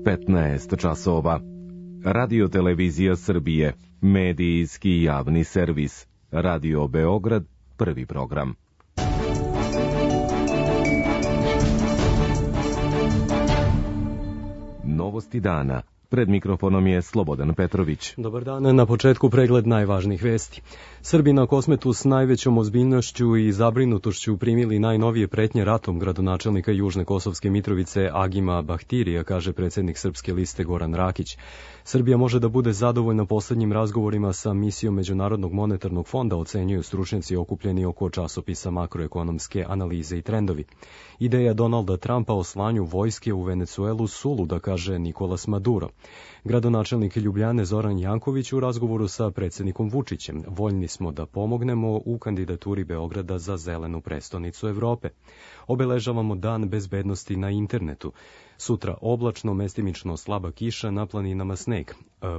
15 časova. Radio Televizija Srbije, medijski javni servis. Radio Beograd, prvi program. Novosti dana. Pred mikrofonom je Slobodan Petrović. Dobar dan, na početku pregled najvažnijih vesti. Srbi na Kosmetu s najvećom ozbiljnošću i zabrinutošću primili najnovije pretnje ratom gradonačelnika Južne Kosovske Mitrovice Agima Bahtirija, kaže predsjednik Srpske liste Goran Rakić. Srbija može da bude zadovoljna poslednjim razgovorima sa misijom Međunarodnog monetarnog fonda, ocenjuju stručnjaci okupljeni oko časopisa Makroekonomske analize i trendovi. Ideja Donalda Trumpa o slanju vojske u Venecuelu suluda, kaže Nikolas Maduro. Gradonačelnik Ljubljane Zoran Janković u razgovoru sa predsjednikom Vučićem: voljni smo da pomognemo u kandidaturi Beograda za zelenu prestonicu Evrope. Obeležavamo dan bezbednosti na internetu. Sutra oblačno, mestimično slaba kiša, na planinama sneg.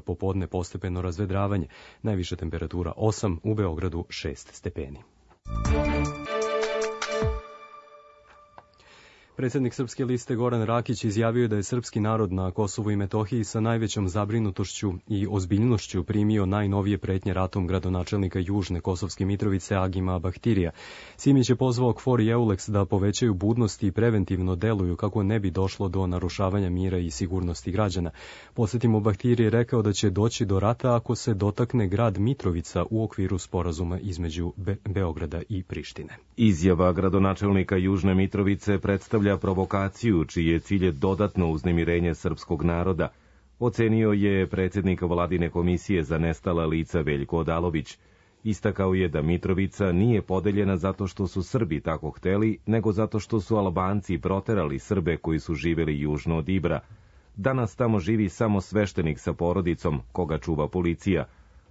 Popodne postepeno razvedravanje. Najviša temperatura 8, u Beogradu 6 stepeni. Predsjednik Srpske liste Goran Rakić izjavio je da je srpski narod na Kosovu i Metohiji sa najvećom zabrinutošću i ozbiljnošću primio najnovije pretnje ratom gradonačelnika Južne Kosovske Mitrovice Agima Bahtirija. Simić je pozvao KFOR i EULEX da povećaju budnost i preventivno deluju kako ne bi došlo do narušavanja mira i sigurnosti građana. Podsjetimo, Bahtirije je rekao da će doći do rata ako se dotakne grad Mitrovica u okviru sporazuma između Beograda i Prištine. Izjava gradonačelnika Južne Mitrovice predstavlja provokaciju čiji je cilj dodatno uznemirenje srpskog naroda, ocenio je predsjednik Vladine komisije za nestala lica Veljko Odalović. Istakao je da Mitrovica nije podeljena zato što su Srbi tako hteli, nego zato što su Albanci proterali Srbe koji su živeli južno od Ibra. Danas tamo živi samo sveštenik sa porodicom, koga čuva policija.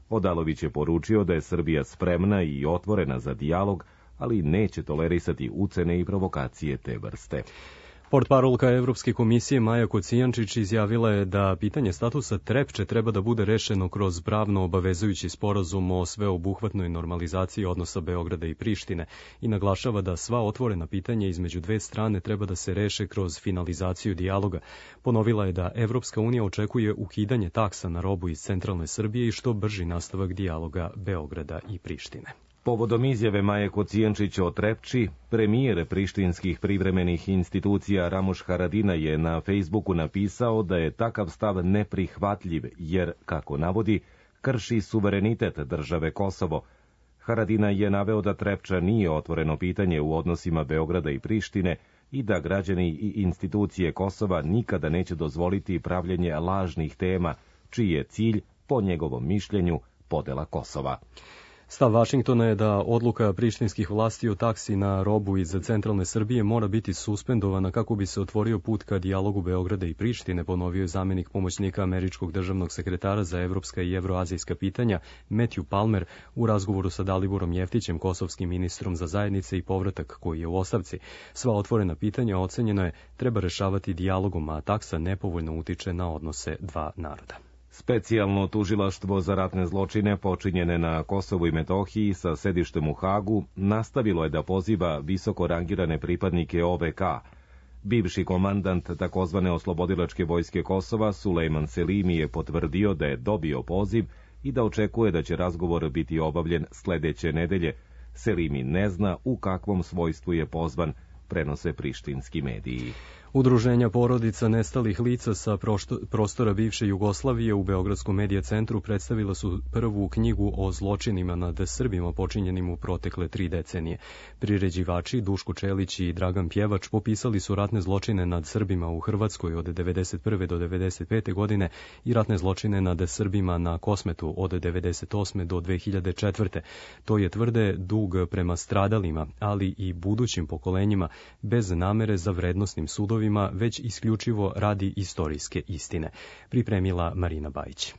Odalović je poručio da je Srbija spremna i otvorena za dijalog, ali neće tolerisati ucene i provokacije te vrste. Portparolka Evropske komisije Maja Kocijančić izjavila je da pitanje statusa Trepče treba da bude rešeno kroz pravno obavezujući sporazum o sveobuhvatnoj normalizaciji odnosa Beograda i Prištine i naglašava da sva otvorena pitanja između dve strane treba da se reše kroz finalizaciju dijaloga. Ponovila je da Evropska unija očekuje ukidanje taksa na robu iz centralne Srbije i što brži nastavak dijaloga Beograda i Prištine. Povodom izjave Maje Kocijančić o Trepči, premijer prištinskih privremenih institucija Ramuš Haradina je na Facebooku napisao da je takav stav neprihvatljiv jer, kako navodi, krši suverenitet države Kosovo. Haradina je naveo da Trepča nije otvoreno pitanje u odnosima Beograda i Prištine i da građani i institucije Kosova nikada neće dozvoliti pravljenje lažnih tema, čiji je cilj, po njegovom mišljenju, podela Kosova. Stav Vašingtona je da odluka prištinskih vlasti o taksi na robu iz centralne Srbije mora biti suspendovana kako bi se otvorio put ka dijalogu Beograda i Prištine, ponovio je zamjenik pomoćnika američkog državnog sekretara za evropska i evroazijska pitanja Matthew Palmer u razgovoru sa Daliborom Jeftićem, kosovskim ministrom za zajednice i povratak koji je u ostavci. Sva otvorena pitanja, ocenjeno je, treba rešavati dijalogom, a taksa nepovoljno utiče na odnose dva naroda. Specijalno tužilaštvo za ratne zločine počinjene na Kosovu i Metohiji sa sedištem u Hagu nastavilo je da poziva visoko rangirane pripadnike OVK. Bivši komandant takozvane oslobodilačke vojske Kosova Sulejman Selimi je potvrdio da je dobio poziv i da očekuje da će razgovor biti obavljen sledeće nedelje. Selimi ne zna u kakvom svojstvu je pozvan, prenose prištinski mediji. Udruženja porodica nestalih lica sa prostora bivše Jugoslavije u Beogradskom medija centru predstavila su prvu knjigu o zločinima nad Srbima počinjenim u protekle 3 decenije. Priređivači Duško Čelić i Dragan Pjevač popisali su ratne zločine nad Srbima u Hrvatskoj od 1991. do 1995. godine i ratne zločine nad Srbima na Kosmetu od 1998. do 2004. To je, tvrde, dug prema stradalima, ali i budućim pokolenjima, bez namere za vrednosnim sudovima, već isključivo radi istorijske istine. Pripremila Marina Bajić.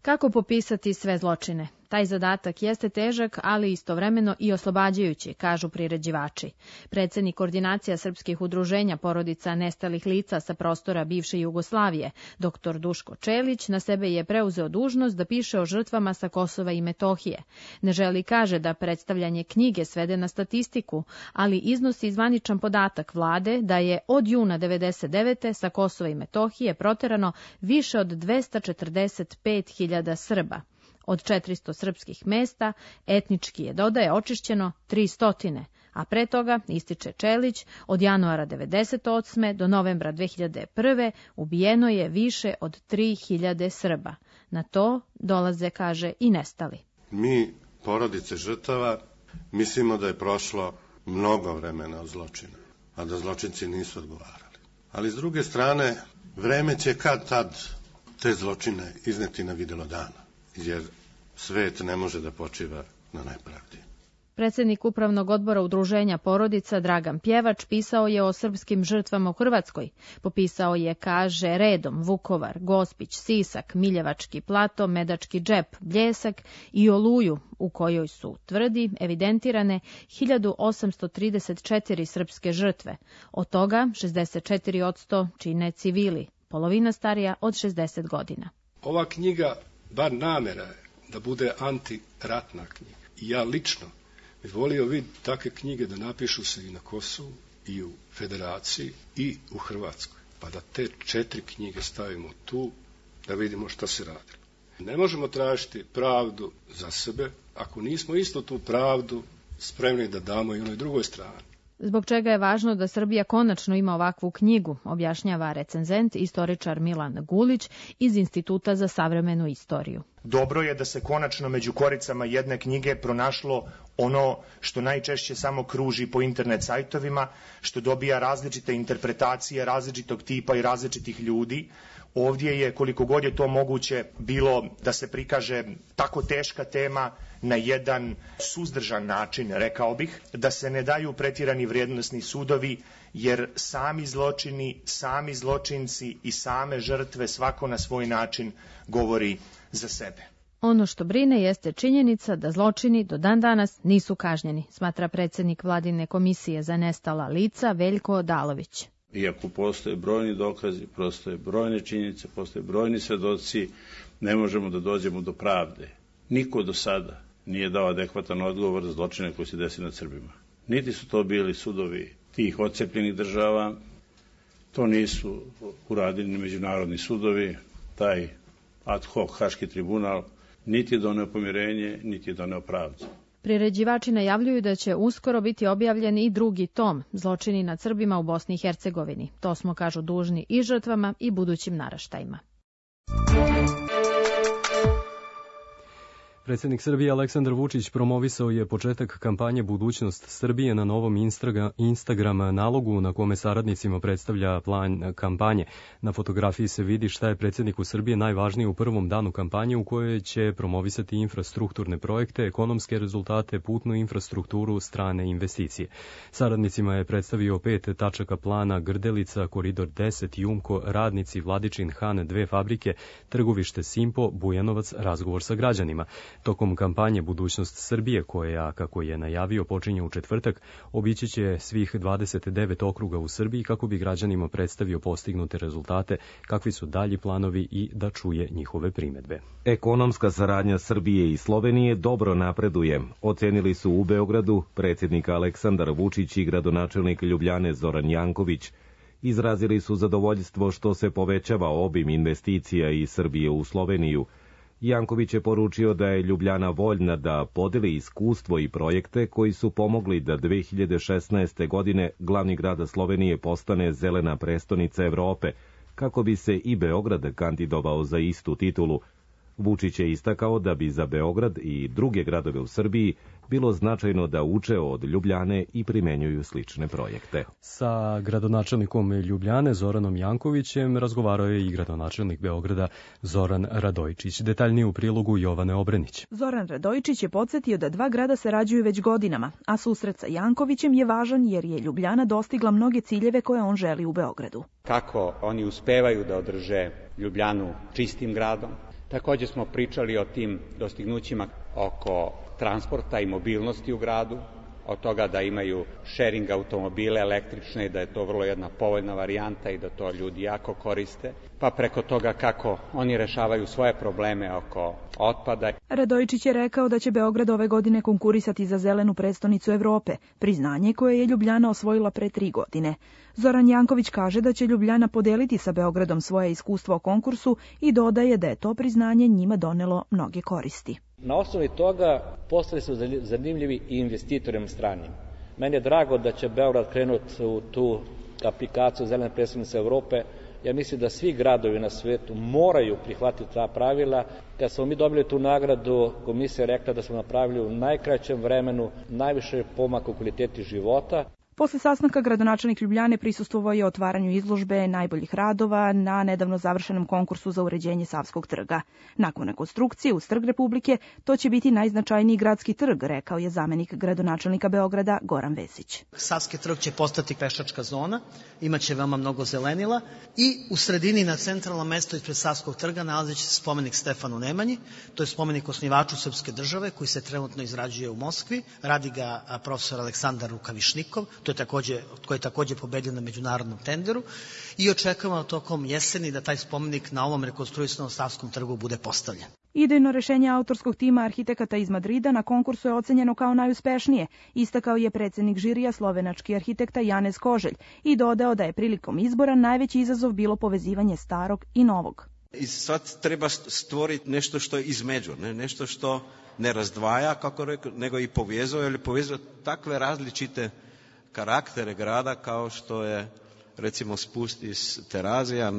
Kako popisati sve zločine? Taj zadatak jeste težak, ali istovremeno i oslobađajući, kažu priređivači. Predsednik Koordinacija srpskih udruženja porodica nestalih lica sa prostora bivše Jugoslavije, dr. Duško Čelić, na sebe je preuzeo dužnost da piše o žrtvama sa Kosova i Metohije. Ne želi, kaže, da predstavljanje knjige svede na statistiku, ali iznosi zvaničan podatak vlade da je od juna 1999. sa Kosova i Metohije proterano više od 245.000 Srba. Od 400 srpskih mesta etnički je, dodaje, očišćeno 300, a pre toga, ističe Čelić, od januara 1998. do novembra 2001. ubijeno je više od 3.000 Srba. Na to dolaze, kaže, i nestali. Mi, porodice žrtava, mislimo da je prošlo mnogo vremena od zločina, a da zločinci nisu odgovarali. Ali s druge strane, vreme će kad tad te zločine izneti na videlo dana, jer svet ne može da počiva na nepravdi. Predsednik Upravnog odbora Udruženja porodica Dragan Pjevač pisao je o srpskim žrtvama u Hrvatskoj. Popisao je, kaže, redom Vukovar, Gospić, Sisak, Miljevački plato, Medački džep, Bljesak i Oluju, u kojoj su, tvrdi, evidentirane 1834 srpske žrtve. Od toga 64% čine civili, polovina starija od 60 godina. Ova knjiga, bar namera je da bude antiratna knjiga. I ja lično bi volio vidjeti takve knjige da napišu se i na Kosovu, i u Federaciji, i u Hrvatskoj. Pa da te 4 knjige stavimo tu, da vidimo šta se radilo. Ne možemo tražiti pravdu za sebe, ako nismo isto tu pravdu spremni da damo i onoj drugoj strani. Zbog čega je važno da Srbija konačno ima ovakvu knjigu, objašnjava recenzent, istoričar Milan Gulić iz Instituta za savremenu istoriju. Dobro je da se konačno među koricama jedne knjige pronašlo ono što najčešće samo kruži po internet sajtovima, što dobija različite interpretacije različitog tipa i različitih ljudi. Ovdje je, koliko god je to moguće, bilo da se prikaže tako teška tema na jedan suzdržan način, rekao bih, da se ne daju pretjerani vrijednosni sudovi, jer sami zločini, sami zločinci i same žrtve svako na svoj način govori za sebe. Ono što brine jeste činjenica da zločini do dan danas nisu kažnjeni, smatra predsjednik Vladine komisije za nestala lica Veljko Odalović. Iako postoje brojni dokazi, postoje brojne činjenice, postoje brojni svedoci, ne možemo da dođemo do pravde. Niko do sada nije dao adekvatan odgovor za zločine koji se desi nad Srbima. Niti su to bili sudovi tih odcepljenih država, to nisu uradili ni međunarodni sudovi, taj ad hoc Haški tribunal niti je doneo pomirenje, niti je doneo pravdu. Priređivači najavljuju da će uskoro biti objavljen i drugi tom, Zločini nad Srbima u Bosni i Hercegovini. To smo, kažu, dužni i žrtvama i budućim naraštajima. Predsjednik Srbije Aleksandar Vučić promovisao je početak kampanje Budućnost Srbije na novom Instagram nalogu na kome saradnicima predstavlja plan kampanje. Na fotografiji se vidi šta je predsjedniku Srbije najvažnije u prvom danu kampanje u kojoj će promovisati infrastrukturne projekte, ekonomske rezultate, putnu infrastrukturu, strane investicije. Saradnicima je predstavio 5 tačaka plana: Grdelica, Koridor 10, Jumko, Radnici, Vladičin Han, 2 fabrike, Trgovište Simpo, Bujanovac, razgovor sa građanima. Tokom kampanje Budućnost Srbije, koja, kako je najavio, počinje u četvrtak, obići će svih 29 okruga u Srbiji kako bi građanima predstavio postignute rezultate, kakvi su dalji planovi i da čuje njihove primedbe. Ekonomska saradnja Srbije i Slovenije dobro napreduje, ocenili su u Beogradu predsjednik Aleksandar Vučić i gradonačelnik Ljubljane Zoran Janković. Izrazili su zadovoljstvo što se povećava obim investicija iz Srbije u Sloveniju. Janković je poručio da je Ljubljana voljna da podeli iskustvo i projekte koji su pomogli da 2016. godine glavni grad Slovenije postane zelena prestonica Evrope, kako bi se i Beograd kandidovao za istu titulu. Vučić je istakao da bi za Beograd i druge gradove u Srbiji bilo značajno da uče od Ljubljane i primenjuju slične projekte. Sa gradonačelnikom Ljubljane Zoranom Jankovićem razgovarao je i gradonačelnik Beograda Zoran Radojčić. Detaljnije u prilogu Jovane Obrenić. Zoran Radojčić je podsjetio da 2 grada sarađuju već godinama, a susret sa Jankovićem je važan jer je Ljubljana dostigla mnoge ciljeve koje on želi u Beogradu. Kako oni uspevaju da održe Ljubljanu čistim gradom. Također smo pričali o tim dostignućima oko transporta i mobilnosti u gradu, od toga da imaju sharing automobile električne i da je to vrlo jedna povoljna varijanta i da to ljudi jako koriste, pa preko toga kako oni rešavaju svoje probleme oko otpada. Radojičić je rekao da će Beograd ove godine konkurisati za zelenu prestonicu Evrope, priznanje koje je Ljubljana osvojila pre 3 godine. Zoran Janković kaže da će Ljubljana podeliti sa Beogradom svoje iskustvo o konkursu i dodaje da je to priznanje njima donelo mnoge koristi. Na osnovi toga postali su zanimljivi i investitorima stranim. Meni je drago da će Beograd krenuti u tu aplikaciju zelene prestonice Evrope. Ja mislim da svi gradovi na svetu moraju prihvatiti ta pravila. Kad smo mi dobili tu nagradu, komisija je rekla da smo napravili u najkraćem vremenu najviše pomaka u kvaliteti života. Posle sastanka gradonačelnik Ljubljane prisustvovao je otvaranju izložbe najboljih radova na nedavno završenom konkursu za uređenje Savskog trga. Nakon rekonstrukcije uz Trg Republike, to će biti najznačajniji gradski trg, rekao je zamenik gradonačelnika Beograda Goran Vesić. Savski trg će postati pešačka zona, imaće veoma mnogo zelenila i u sredini na centralnom mestu ispred Savskog trga nalazi će se spomenik Stefanu Nemanji, to je spomenik osnivaču srpske države koji se trenutno izrađuje u Moskvi, radi ga profesor Aleksandar Rukavišnikov, koji je takođe pobedio na međunarodnom tenderu i očekujemo tokom jeseni da taj spomenik na ovom rekonstruisanom Savskom trgu bude postavljen. Idejno rešenje autorskog tima arhitekata iz Madrida na konkursu je ocenjeno kao najuspešnije, istakao je predsednik žirija slovenački arhitekta Janez Koželj i dodao da je prilikom izbora najveći izazov bilo povezivanje starog i novog. I sad treba stvoriti nešto što je između, nešto što ne razdvaja, kako rekao, nego i povezuje, ili povezuje takve različite karaktere grada kao što je recimo spust iz Terazija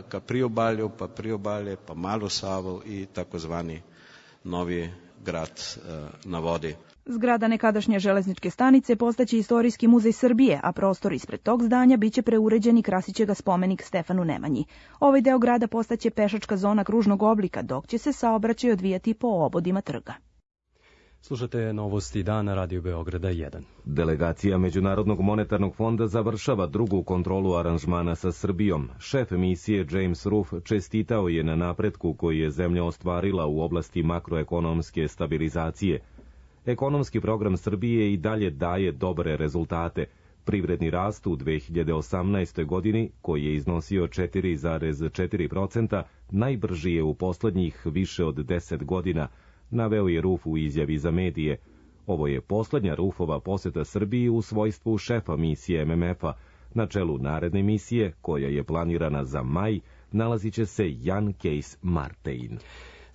ka priobalju, pa priobalje, pa Malu Savu i takozvani novi grad na vodi. Zgrada nekadašnje železničke stanice postaće Istorijski muzej Srbije, a prostor ispred tog zdanja biće preuređen i krasiće ga spomenik Stefanu Nemanji. Ovaj deo grada postaće pešačka zona kružnog oblika, dok će se saobraćaj odvijati po obodima trga. Slušate novosti dana Radio Beograda 1. Delegacija Međunarodnog monetarnog fonda završava drugu kontrolu aranžmana sa Srbijom. Šef misije James Ruff čestitao je na napretku koji je zemlja ostvarila u oblasti makroekonomske stabilizacije. Ekonomski program Srbije i dalje daje dobre rezultate. Privredni rast u 2018. godini, koji je iznosio 4,4%, najbrži je u poslednjih više od 10 godina, naveo je Ruff u izjavi za medije. Ovo je poslednja Ruffova poseta Srbiji u svojstvu šefa misije MMF-a. Na čelu naredne misije, koja je planirana za maj, nalazit će se Jan Kees Martein.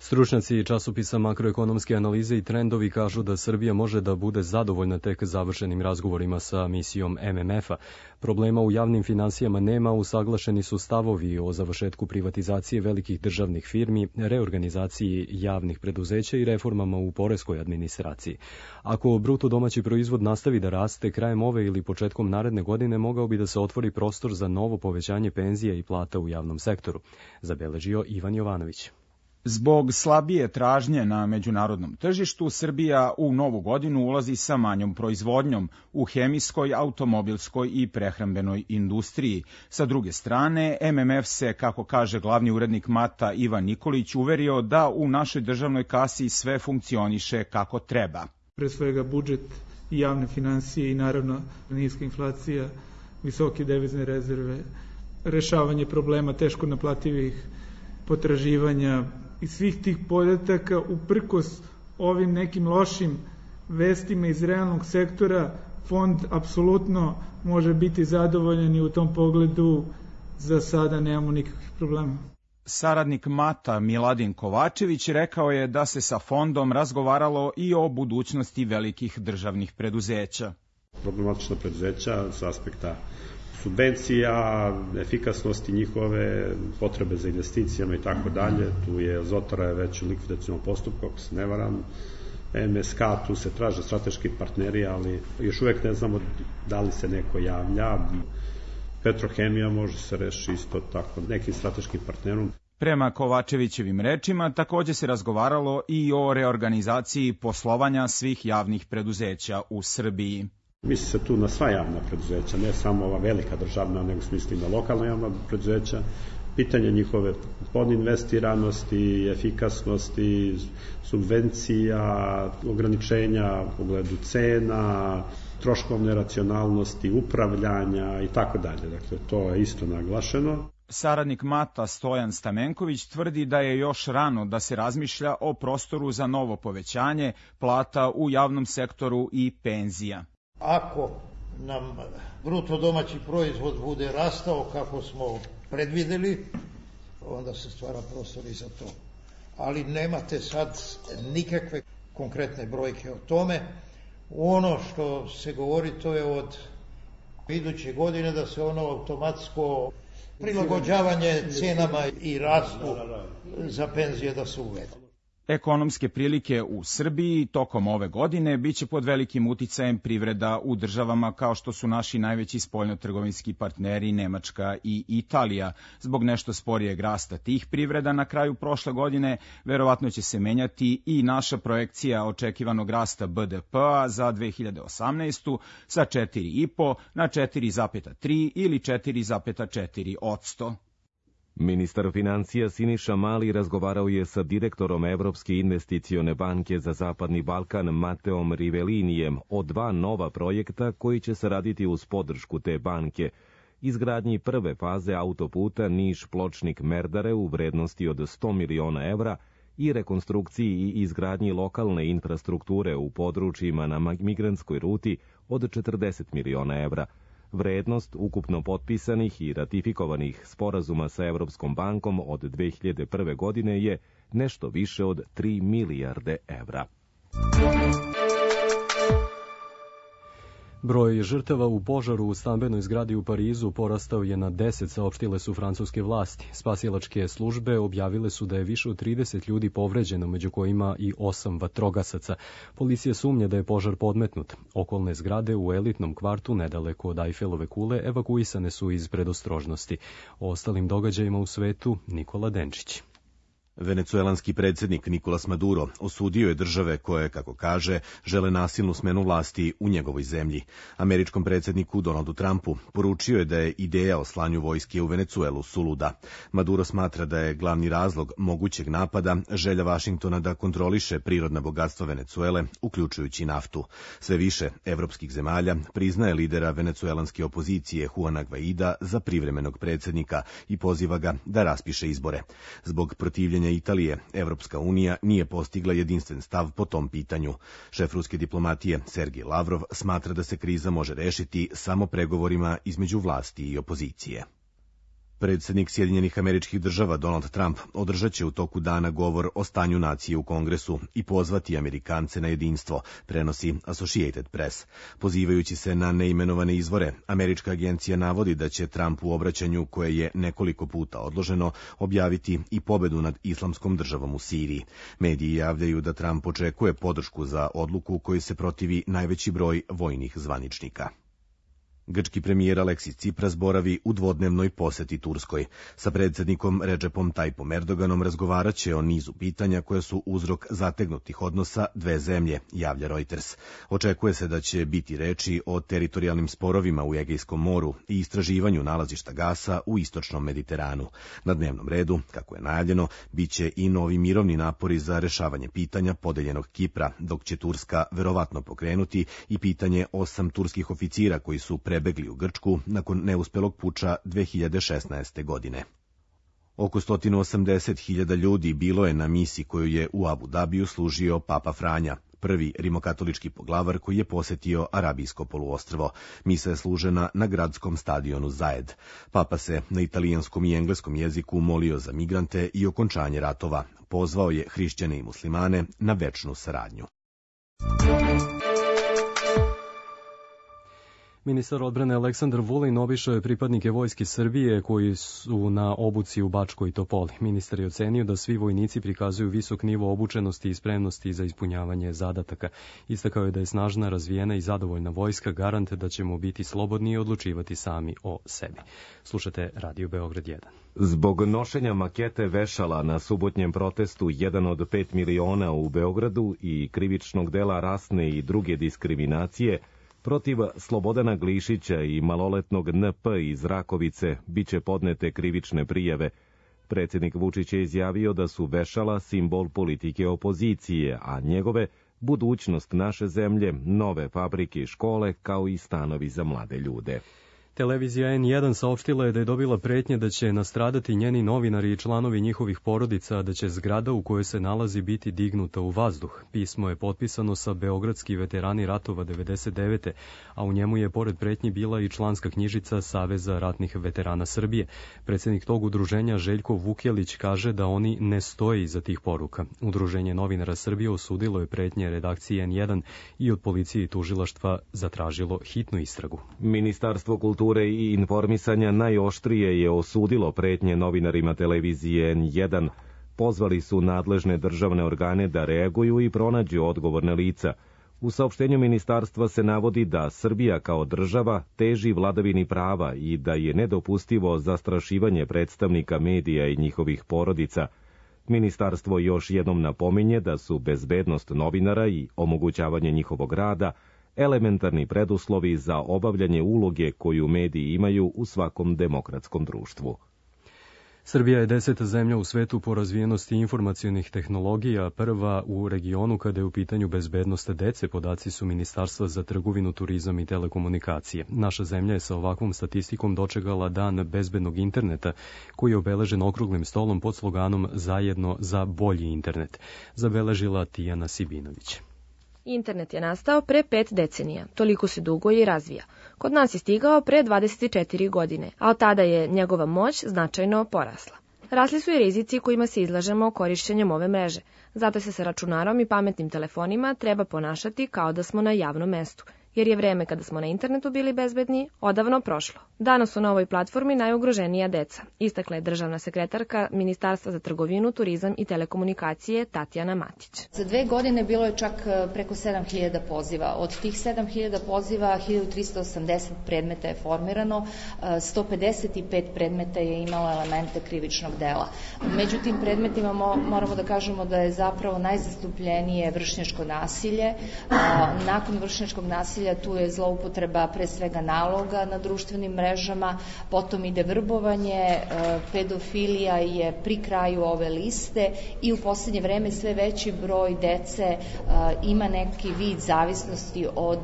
Stručnjaci časopisa Makroekonomske analize i trendovi kažu da Srbija može da bude zadovoljna tek završenim razgovorima sa misijom MMF-a. Problema u javnim finansijama nema, usaglašeni su stavovi o završetku privatizacije velikih državnih firmi, reorganizaciji javnih preduzeća i reformama u poreskoj administraciji. Ako bruto domaći proizvod nastavi da raste, krajem ove ili početkom naredne godine mogao bi da se otvori prostor za novo povećanje penzija i plata u javnom sektoru, zabeležio Ivan Jovanović. Zbog slabije tražnje na međunarodnom tržištu, Srbija u novu godinu ulazi sa manjom proizvodnjom u hemijskoj, automobilskoj i prehrambenoj industriji. Sa druge strane, MMF se, kako kaže glavni urednik MATA Ivan Nikolić, uverio da u našoj državnoj kasi sve funkcioniše kako treba. Pre svega budžet i javne finansije i naravno niska inflacija, visoke devizne rezerve, rešavanje problema teško naplativih potraživanja i svih tih podataka uprkos ovim nekim lošim vestima iz realnog sektora, fond apsolutno može biti zadovoljan i u tom pogledu za sada nemamo nikakvih problema. Saradnik MATA Miladin Kovačević rekao je da se sa fondom razgovaralo i o budućnosti velikih državnih preduzeća. Problematična preduzeća sa aspekta subvencija, efikasnosti njihove, potrebe za investicijama i tako dalje. Tu je Zotora je već u likvidacijnom postupku, ako se ne varam. MSK, tu se traže strateški partneri, ali još uvek ne znamo da li se neko javlja. Petrohemija može se reši isto tako nekim strateškim partnerom. Prema Kovačevićevim rečima, takođe se razgovaralo i o reorganizaciji poslovanja svih javnih preduzeća u Srbiji. Misli se tu na sva javna preduzeća, ne samo ova velika državna, nego smisli na lokalna javna preduzeća. pitanje njihove podinvestiranosti, efikasnosti, subvencija, ograničenja u pogledu cena, troškovne racionalnosti, upravljanja i tako dalje. Dakle, to je isto naglašeno. Saradnik MATA Stojan Stamenković tvrdi da je još rano da se razmišlja o prostoru za novo povećanje plata u javnom sektoru i penzija. Ako nam bruto domaći proizvod bude rastao kako smo predvideli, onda se stvara prostor i za to. Ali nemate sad nikakve konkretne brojke o tome. Ono što se govori, to je od iduće godine da se ono automatsko prilagođavanje cenama i rastu za penzije da se uvede. Ekonomske prilike u Srbiji tokom ove godine biće pod velikim uticajem privreda u državama kao što su naši najveći spoljnotrgovinski partneri Nemačka i Italija. Zbog nešto sporijeg rasta tih privreda na kraju prošle godine verovatno će se menjati i naša projekcija očekivanog rasta BDP-a za 2018. sa 4,5 na 4,3 ili 4,4%. Ministar financija Siniša Mali razgovarao je sa direktorom Evropske investicione banke za Zapadni Balkan Mateom Rivelinijem o 2 nova projekta koji će se raditi uz podršku te banke. Izgradnji prve faze autoputa Niš-Pločnik-Merdare u vrednosti od 100 miliona evra i rekonstrukciji i izgradnji lokalne infrastrukture u područjima na migrantskoj ruti od 40 miliona evra. Vrednost ukupno potpisanih i ratifikovanih sporazuma sa Evropskom bankom od 2001. godine je nešto više od 3 milijarde evra. Broj žrtava u požaru u stambenoj zgradi u Parizu porastao je na 10, saopštile su francuske vlasti. Spasilačke službe objavile su da je više od 30 ljudi povređeno, među kojima i 8 vatrogasaca. Policija sumnja da je požar podmetnut. Okolne zgrade u elitnom kvartu nedaleko od Eifelove kule evakuisane su iz predostrožnosti. O ostalim događajima u svetu Nikola Denčić. Venecuelanski predsjednik Nicolas Maduro osudio je države koje, kako kaže, žele nasilnu smenu vlasti u njegovoj zemlji. Američkom predsjedniku Donaldu Trumpu poručio je da je ideja o slanju vojske u Venecuelu suluda. Maduro smatra da je glavni razlog mogućeg napada želja Vašingtona da kontroliše prirodna bogatstva Venecuele, uključujući naftu. Sve više evropskih zemalja priznaje lidera venecuelanske opozicije Juana Guaida za privremenog predsjednika i poziva ga da raspiše izbore. Zbog protivljenja Italije, Evropska unija nije postigla jedinstven stav po tom pitanju. Šef ruske diplomatije Sergej Lavrov smatra da se kriza može rešiti samo pregovorima između vlasti i opozicije. Predsjednik Sjedinjenih Američkih Država Donald Trump održat će u toku dana govor o stanju nacije u Kongresu i pozvati Amerikance na jedinstvo, prenosi Associated Press. Pozivajući se na neimenovane izvore, američka agencija navodi da će Trump u obraćanju, koje je nekoliko puta odloženo, objaviti i pobedu nad Islamskom državom u Siriji. Mediji javljaju da Trump očekuje podršku za odluku koju se protivi najveći broj vojnih zvaničnika. Grčki premijer Aleksis Tsipras boravi u dvodnevnoj poseti Turskoj. Sa predsjednikom Recepom Tayyipom Erdoganom razgovarat će o nizu pitanja koja su uzrok zategnutih odnosa dve zemlje, javlja Reuters. Očekuje se da će biti reči o teritorijalnim sporovima u Egejskom moru i istraživanju nalazišta gasa u istočnom Mediteranu. Na dnevnom redu, kako je najavljeno, bit će i novi mirovni napori za rešavanje pitanja podeljenog Kipra, dok će Turska verovatno pokrenuti i pitanje 8 turskih oficira koji su prebegli u Grčku nakon neuspelog puča 2016. godine. Oko 180.000 ljudi bilo je na misi koju je u Abu Dabiju služio Papa Franja, prvi rimokatolički poglavar koji je posetio Arabijsko poluostrvo. Misa je služena na gradskom stadionu Zajed. Papa se na italijanskom i engleskom jeziku molio za migrante i okončanje ratova. Pozvao je hrišćane i muslimane na večnu saradnju. Ministar odbrane Aleksandar Vulin obišao je pripadnike Vojske Srbije koji su na obuci u Bačkoj Topoli. Ministar je ocenio da svi vojnici prikazuju visok nivo obučenosti i spremnosti za ispunjavanje zadataka. Istakao je da je snažna, razvijena i zadovoljna vojska garant da ćemo biti slobodni i odlučivati sami o sebi. Slušate Radio Beograd 1. Zbog nošenja makete vešala na subotnjem protestu 1 od 5 miliona u Beogradu i krivičnog dela rasne i druge diskriminacije, Protiv Slobodana Glišića i maloletnog NP iz Rakovice biće podnete krivične prijave. Predsjednik Vučić je izjavio da su vešala simbol politike opozicije, a njegove budućnost naše zemlje, nove fabrike i škole, kao i stanovi za mlade ljude. Televizija N1 saopštila je da je dobila pretnje da će nastradati njeni novinari i članovi njihovih porodica, a da će zgrada u kojoj se nalazi biti dignuta u vazduh. Pismo je potpisano sa Beogradski veterani ratova 99. a u njemu je pored pretnji bila i članska knjižica Saveza ratnih veterana Srbije. Predsjednik tog udruženja Željko Vukjelić kaže da oni ne stoje iza tih poruka. Udruženje novinara Srbije osudilo je pretnje redakcije N1 i od policije i tužilaštva zatražilo hitnu istragu. Ministarstvo kulture i informisanja najoštrije je osudilo pretnje novinarima televizije N1. Pozvali su nadležne državne organe da reaguju i pronađu odgovorna lica. U saopštenju ministarstva se navodi da Srbija kao država teži vladavini prava i da je nedopustivo zastrašivanje predstavnika medija i njihovih porodica. Ministarstvo još jednom napominje da su bezbednost novinara i omogućavanje njihovog rada elementarni preduslovi za obavljanje uloge koju mediji imaju u svakom demokratskom društvu. Srbija je 10. zemlja u svetu po razvijenosti informacionih tehnologija, prva u regionu kada je u pitanju bezbednost dece, podaci su Ministarstva za trgovinu, turizam i telekomunikacije. Naša zemlja je sa ovakvom statistikom dočekala dan bezbednog interneta, koji je obeležen okruglim stolom pod sloganom Zajedno za bolji internet, zabeležila Tijana Sibinović. Internet je nastao pre 5 decenija, toliko se dugo i razvija. Kod nas je stigao pre 24 godine, a od tada je njegova moć značajno porasla. Rasli su i rizici kojima se izlažemo korišćenjem ove mreže, zato se sa računarom i pametnim telefonima treba ponašati kao da smo na javnom mestu, jer je vreme kada smo na internetu bili bezbedni odavno prošlo. Danas su na ovoj platformi najugroženija deca, istakla je državna sekretarka Ministarstva za trgovinu, turizam i telekomunikacije Tatjana Matić. Za 2 godine bilo je čak preko 7000 poziva. Od tih 7000 poziva 1380 predmeta je formirano, 155 predmeta je imalo elemente krivičnog dela. Među tim predmetima moramo da kažemo da je zapravo najzastupljenije vršnjačko nasilje. Nakon vršnjačkog nasilja tu je zloupotreba pre svega naloga na društvenim mrežama, potom ide vrbovanje, pedofilija je pri kraju ove liste i u poslednje vreme sve veći broj dece ima neki vid zavisnosti od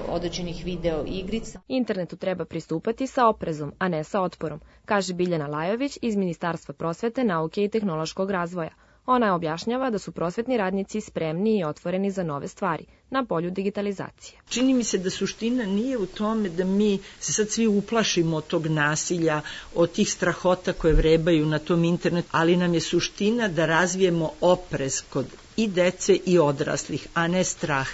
određenih video igrica. Internetu treba pristupati sa oprezom, a ne sa otporom, kaže Biljana Lajović iz Ministarstva prosvete, nauke i tehnološkog razvoja. Ona objašnjava da su prosvetni radnici spremni i otvoreni za nove stvari na polju digitalizacije. Čini mi se da suština nije u tome da mi se sad svi uplašimo od tog nasilja, od tih strahota koje vrebaju na tom internetu, ali nam je suština da razvijemo oprez kod i dece i odraslih, a ne strah.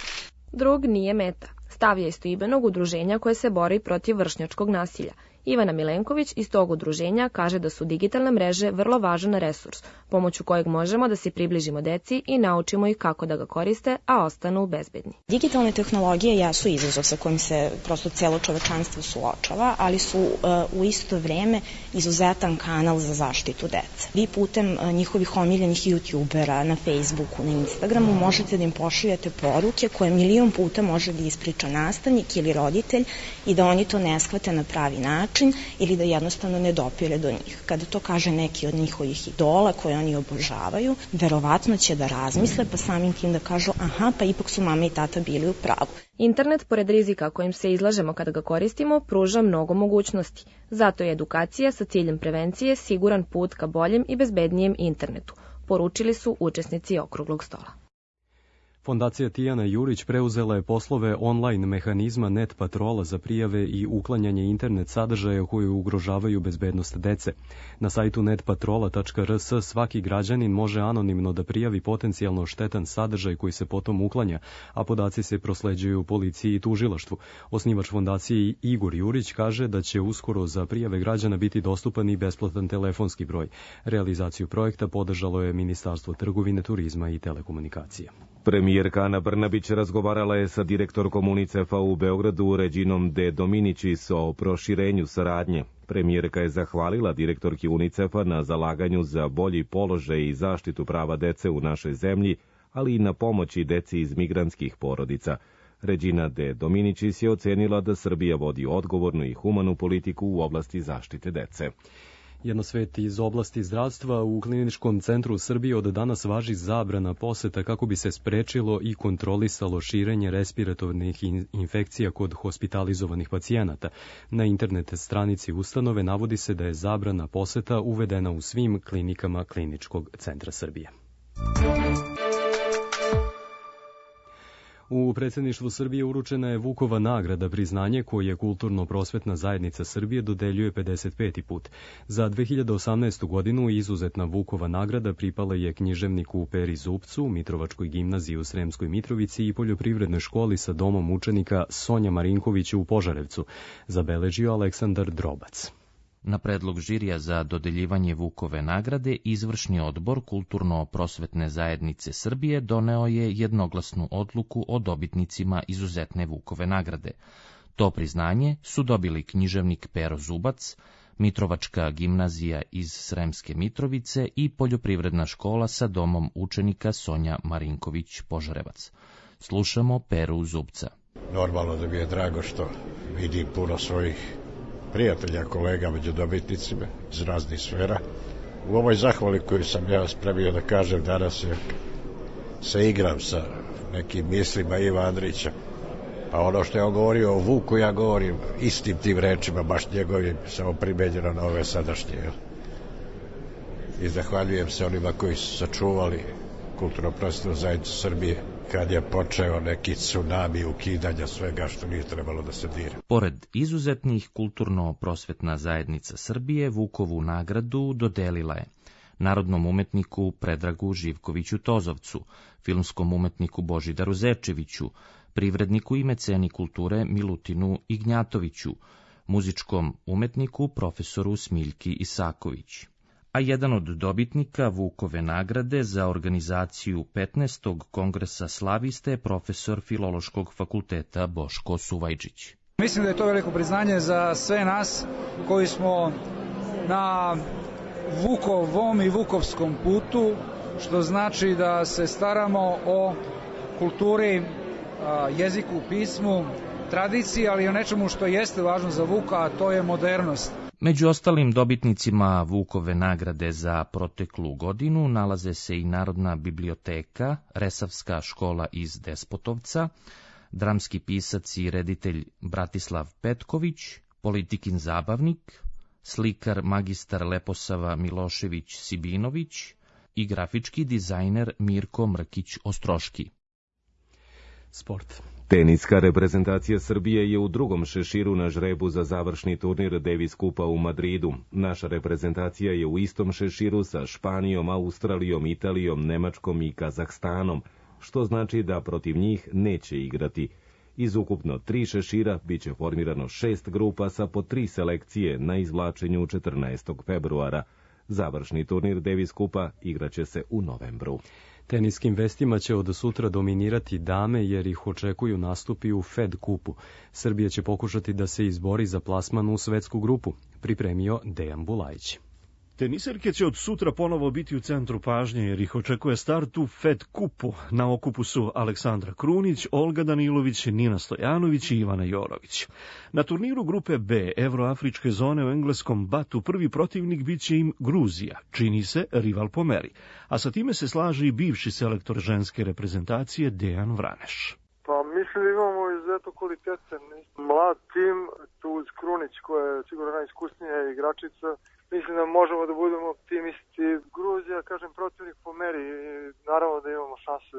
Drug nije meta. Stav je istoimenog udruženja koje se bori protiv vršnjačkog nasilja. Ivana Milenković iz tog udruženja kaže da su digitalne mreže vrlo važan resurs, pomoću kojeg možemo da se približimo deci i naučimo ih kako da ga koriste, a ostanu bezbedni. Digitalne tehnologije jesu izazov sa kojim se prosto celo čovečanstvo suočava, ali su u isto vreme izuzetan kanal za zaštitu dece. Vi putem njihovih omiljenih youtubera na Facebooku, na Instagramu možete da im pošaljete poruke koje 1.000.000 puta može da ispriča nastavnik ili roditelj i da oni to ne shvate na pravi način ili da jednostavno ne dopire do njih. Kada to kaže neki od njihovih idola koje oni obožavaju, verovatno će da razmisle pa samim tim da kažu aha, pa ipak su mama i tata bili u pravu. Internet, pored rizika kojim se izlažemo kada ga koristimo, pruža mnogo mogućnosti. Zato je edukacija sa ciljem prevencije siguran put ka boljem i bezbednijem internetu, poručili su učesnici okruglog stola. Fondacija Tijana Jurić preuzela je poslove online mehanizma Net Patrola za prijave i uklanjanje internet sadržaja koji ugrožavaju bezbednost dece. Na sajtu netpatrola.rs svaki građanin može anonimno da prijavi potencijalno štetan sadržaj koji se potom uklanja, a podaci se prosleđuju policiji i tužilaštvu. Osnivač fondacije Igor Jurić kaže da će uskoro za prijave građana biti dostupan i besplatan telefonski broj. Realizaciju projekta podržalo je Ministarstvo trgovine, turizma i telekomunikacija. Premijerka Ana Brnabić razgovarala je sa direktorkom UNICEF-a u Beogradu Reginom de Dominicis o proširenju saradnje. Premijerka je zahvalila direktorki UNICEF-a na zalaganju za bolji položaj i zaštitu prava dece u našoj zemlji, ali i na pomoći deci iz migrantskih porodica. Regina de Dominicis je ocenila da Srbija vodi odgovornu i humanu politiku u oblasti zaštite dece. Jedno svet iz oblasti zdravstva. U Kliničkom centru Srbije od danas važi zabrana poseta kako bi se sprečilo i kontrolisalo širenje respiratornih infekcija kod hospitalizovanih pacijenata. Na internet stranici ustanove navodi se da je zabrana poseta uvedena u svim klinikama Kliničkog centra Srbije. U predsjedništvu Srbije uručena je Vukova nagrada, priznanje koje Kulturno-prosvetna zajednica Srbije dodeljuje 55. put. Za 2018. godinu izuzetna Vukova nagrada pripala je književniku Peri Zupcu, Mitrovačkoj gimnaziji u Sremskoj Mitrovici i poljoprivrednoj školi sa domom učenika Sonja Marinkovića u Požarevcu, zabeležio Aleksandar Drobac. Na predlog žirija za dodeljivanje Vukove nagrade, izvršni odbor Kulturno-prosvetne zajednice Srbije doneo je jednoglasnu odluku o dobitnicima izuzetne Vukove nagrade. To priznanje su dobili književnik Pero Zubac, Mitrovačka gimnazija iz Sremske Mitrovice i poljoprivredna škola sa domom učenika Sonja Marinković Požarevac. Slušamo Peru Zubca. Normalno da mi je drago što vidim puno svojih prijatelja, kolega među dobitnicima iz raznih sfera. U ovoj zahvali koju sam ja spremio da kažem danas se igram sa nekim mislima Iva Andrića. Pa ono što je on govorio o Vuku, ja govorim istim tim rečima, baš njegovim, samo primenjeno na ove sadašnje. I zahvaljujem se onima koji su sačuvali Kulturno-prosvetnu zajednicu Srbije kad je počeo neki tsunami ukidanja svega što nije trebalo da se dira. Pored izuzetnih, Kulturno-prosvetna zajednica Srbije Vukovu nagradu dodelila je narodnom umetniku Predragu Živkoviću Tozovcu, filmskom umetniku Božidaru Zečeviću, privredniku i meceni kulture Milutinu Ignjatoviću, muzičkom umetniku profesoru Smiljki Isaković. A jedan od dobitnika Vukove nagrade za organizaciju 15. kongresa slaviste je profesor Filološkog fakulteta Boško Suvajčić. Mislim da je to veliko priznanje za sve nas koji smo na Vukovom i Vukovskom putu, što znači da se staramo o kulturi, jeziku, pismu, tradiciji, ali i o nečemu što jeste važno za Vuka, a to je modernost. Među ostalim dobitnicima Vukove nagrade za proteklu godinu nalaze se i Narodna biblioteka, Resavska škola iz Despotovca, dramski pisac i reditelj Bratislav Petković, politikin zabavnik, slikar magistar Leposava Milošević Sibinović i grafički dizajner Mirko Mrkić Ostroški. Sport. Teniska reprezentacija Srbije je u drugom šeširu na žrebu za završni turnir Davis Kupa u Madridu. Naša reprezentacija je u istom šeširu sa Španijom, Australijom, Italijom, Nemačkom i Kazahstanom, što znači da protiv njih neće igrati. Iz ukupno 3 šešira biće formirano 6 grupa sa po 3 selekcije na izvlačenju 14. februara. Završni turnir Davis Kupa igraće se u novembru. Teniskim vestima će od sutra dominirati dame jer ih očekuju nastupi u Fed kupu. Srbija će pokušati da se izbori za plasman u svetsku grupu, pripremio Dejan Bulajić. Teniserke će od sutra ponovo biti u centru pažnje jer ih očekuje start u Fed kupu. Na okupu su Aleksandra Krunić, Olga Danilović, Nina Stojanović i Ivana Jorović. Na turniru grupe B Evroafričke zone u engleskom Batu prvi protivnik biće im Gruzija, čini se rival po meri. A sa time se slaže i bivši selektor ženske reprezentacije Dejan Vraneš. Pa mislim da imamo izuzetno kvalitetan mlad tim, tu uz Krunić koja je sigurno najiskusnija igračica. Mislim da možemo da budemo optimisti. Gruzija, kažem, protivnik po meri i naravno da imamo šanse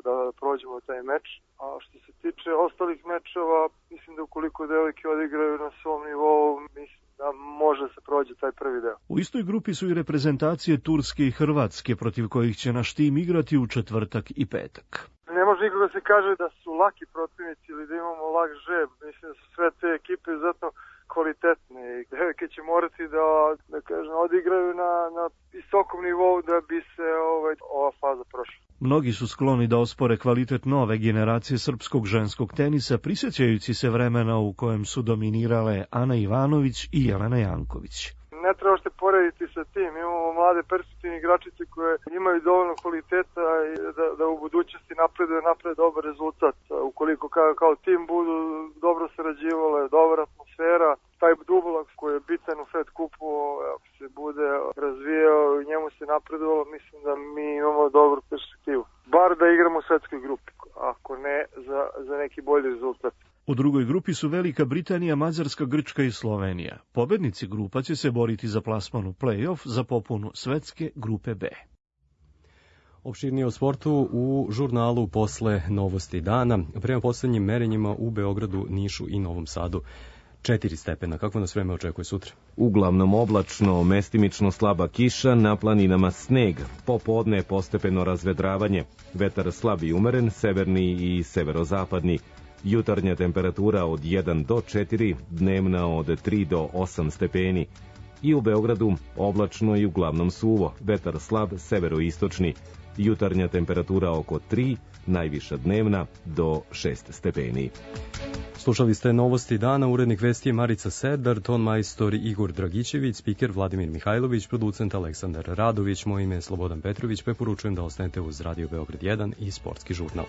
da prođemo taj meč. A što se tiče ostalih mečeva, mislim da ukoliko devojke odigraju na svom nivou, mislim da može se prođe taj prvi deo. U istoj grupi su i reprezentacije Turske i Hrvatske, protiv kojih će naš tim igrati u četvrtak i petak. Ne može nikog da se kaže da su laki protivnici ili da imamo lak žeb. Mislim da su sve te ekipe izuzetno kvalitetne i devojke će morati da kažem, odigraju na visokom nivou da bi se ova faza prošla. Mnogi su skloni da ospore kvalitet nove generacije srpskog ženskog tenisa, prisjećajući se vremena u kojem su dominirale Ana Ivanović i Jelena Janković. Ne treba što porediti sa tim. Imamo mlade perspektivne igračice koje imaju dovoljno kvaliteta i da u budućnosti naprede dobar rezultat. Ukoliko kao tim budu dobro sarađivale, dobra atmosfera, taj dublak koji je bitan u Fed kupu se bude razvijao i njemu se napredovalo, mislim da mi imamo dobru perspektivu. Bar da igramo u svetskoj grupi, ako ne za neki bolji rezultat. U drugoj grupi su Velika Britanija, Mađarska, Grčka i Slovenija. Pobednici grupa će se boriti za plasman u play-off za popunu svetske grupe B. Opširnije o sportu u žurnalu posle novosti dana. Prema poslednjim merenjima u Beogradu, Nišu i Novom Sadu 4 stepena. Kako nas vreme očekuje sutra? Uglavnom oblačno, mestimično slaba kiša, na planinama sneg. Popodne postepeno razvedravanje. Vetar slab i umeren, severni i severozapadni. Jutarnja temperatura od 1 do 4, dnevna od 3 do 8 stepeni. I u Beogradu oblačno i uglavnom suvo, vetar slab, severoistočni. Jutarnja temperatura oko 3, najviša dnevna do 6 stepeni. Slušali ste novosti dana, urednik vesti je Marica Serdar, ton majstor Igor Dragićević, spiker Vladimir Mihajlović, producent Aleksandar Radović, moje ime je Slobodan Petrović, preporučujem da ostanete uz Radio Beograd 1 i Sportski žurnal.